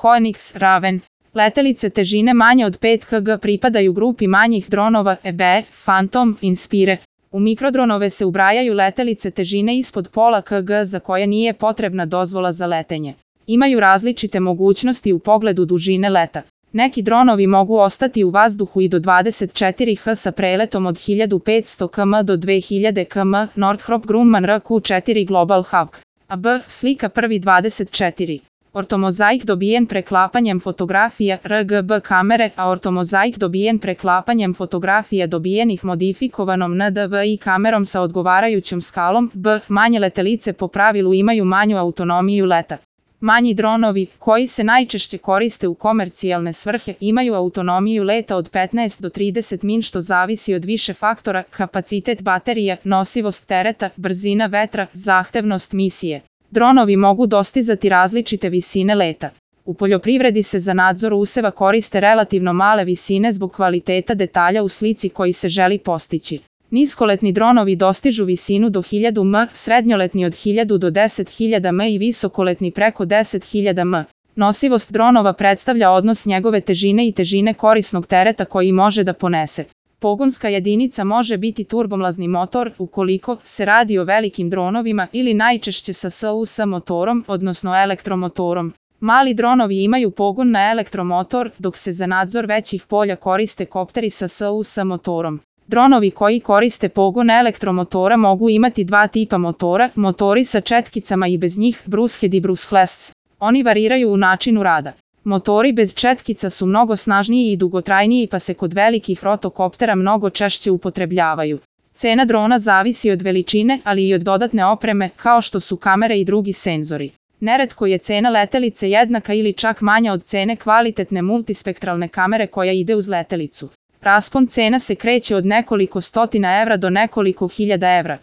Phoenix, Raven. Letelice težine manje od 5 kg pripadaju grupi manjih dronova EBE, Phantom, Inspire. U mikrodronove se ubrajaju letelice težine ispod pola kg za koje nije potrebna dozvola za letenje. Imaju različite mogućnosti u pogledu dužine leta. Neki dronovi mogu ostati u vazduhu i do 24 h sa preletom od 1500 km do 2000 km. Northrop Grumman RQ-4 Global Hawk. AB, slika 1.24. Ortomozaik dobijen preklapanjem fotografija RGB kamere, a ortomozaik dobijen preklapanjem fotografija dobijenih modifikovanom NDVI kamerom sa odgovarajućom skalom. B. Manje letelice po pravilu imaju manju autonomiju leta. Manji dronovi, koji se najčešće koriste u komercijalne svrhe, imaju autonomiju leta od 15 do 30 min što zavisi od više faktora: kapacitet baterija, nosivost tereta, brzina vetra, zahtevnost misije. Dronovi mogu dostizati različite visine leta. U poljoprivredi se za nadzor useva koriste relativno male visine zbog kvaliteta detalja u slici koji se želi postići. Niskoletni dronovi dostižu visinu do 1000 m, srednjoletni od 1000 do 10.000 m i visokoletni preko 10.000 m. Nosivost dronova predstavlja odnos njegove težine i težine korisnog tereta koji može da ponese. Pogonska jedinica može biti turbomlazni motor, ukoliko se radi o velikim dronovima, ili najčešće sa SUS motorom, odnosno elektromotorom. Mali dronovi imaju pogon na elektromotor, dok se za nadzor većih polja koriste kopteri sa SUS motorom. Dronovi koji koriste pogon elektromotora mogu imati dva tipa motora: motori sa četkicama i bez njih, Brucehead i Bruceless. Oni variraju u načinu rada. Motori bez četkica su mnogo snažniji i dugotrajniji, pa se kod velikih rotokoptera mnogo češće upotrebljavaju. Cena drona zavisi od veličine, ali i od dodatne opreme, kao što su kamere i drugi senzori. Neretko je cena letelice jednaka ili čak manja od cene kvalitetne multispektralne kamere koja ide uz letelicu. Raspon cena se kreće od nekoliko stotina evra do nekoliko hiljada evra.